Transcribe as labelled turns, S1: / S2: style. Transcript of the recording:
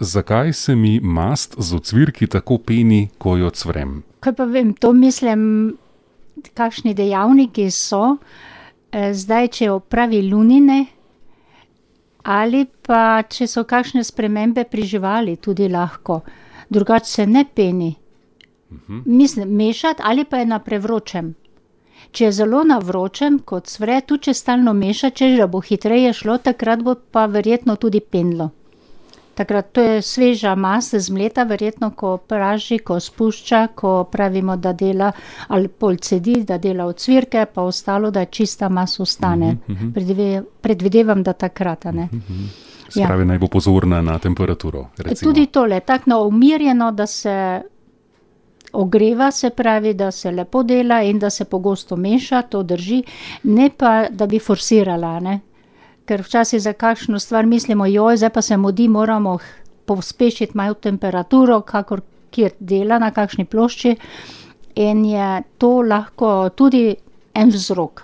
S1: Zakaj se mi mast z ocvirki tako peni, ko jo cvrem?
S2: Kaj pa vem, to mislim, kakšni dejavniki so. Zdaj, če opravi lunine ali pa če so kakšne spremembe pri živali, tudi lahko. Drugače se ne peni. Mislim, mešati ali pa je na prevročem. Če je zelo na vročem, ko cvre, tudi če stalno meša, češ da bo hitreje šlo, takrat bo pa verjetno tudi penilo. Takrat to je sveža mast, zmleta, verjetno, ko praži, ko spušča, ko pravimo, da dela ali pol cedi, da dela ocvirke, pa ostalo, da čista mast ostane. Predvidevam, da takrat, a ne.
S1: Se pravi, naj bo pozorna na temperaturo, recimo.
S2: Tudi tole, tako umirjeno, da se ogreva, se pravi, da se lepo dela in da se pogosto meša, to drži, ne pa, da bi forsirala, ne. Ker včasih za kakšno stvar mislimo, zdaj pa se mudi, moramo pospešiti malo temperaturo, kakor kjer dela, na kakšni plošči, in je to lahko tudi en vzrok.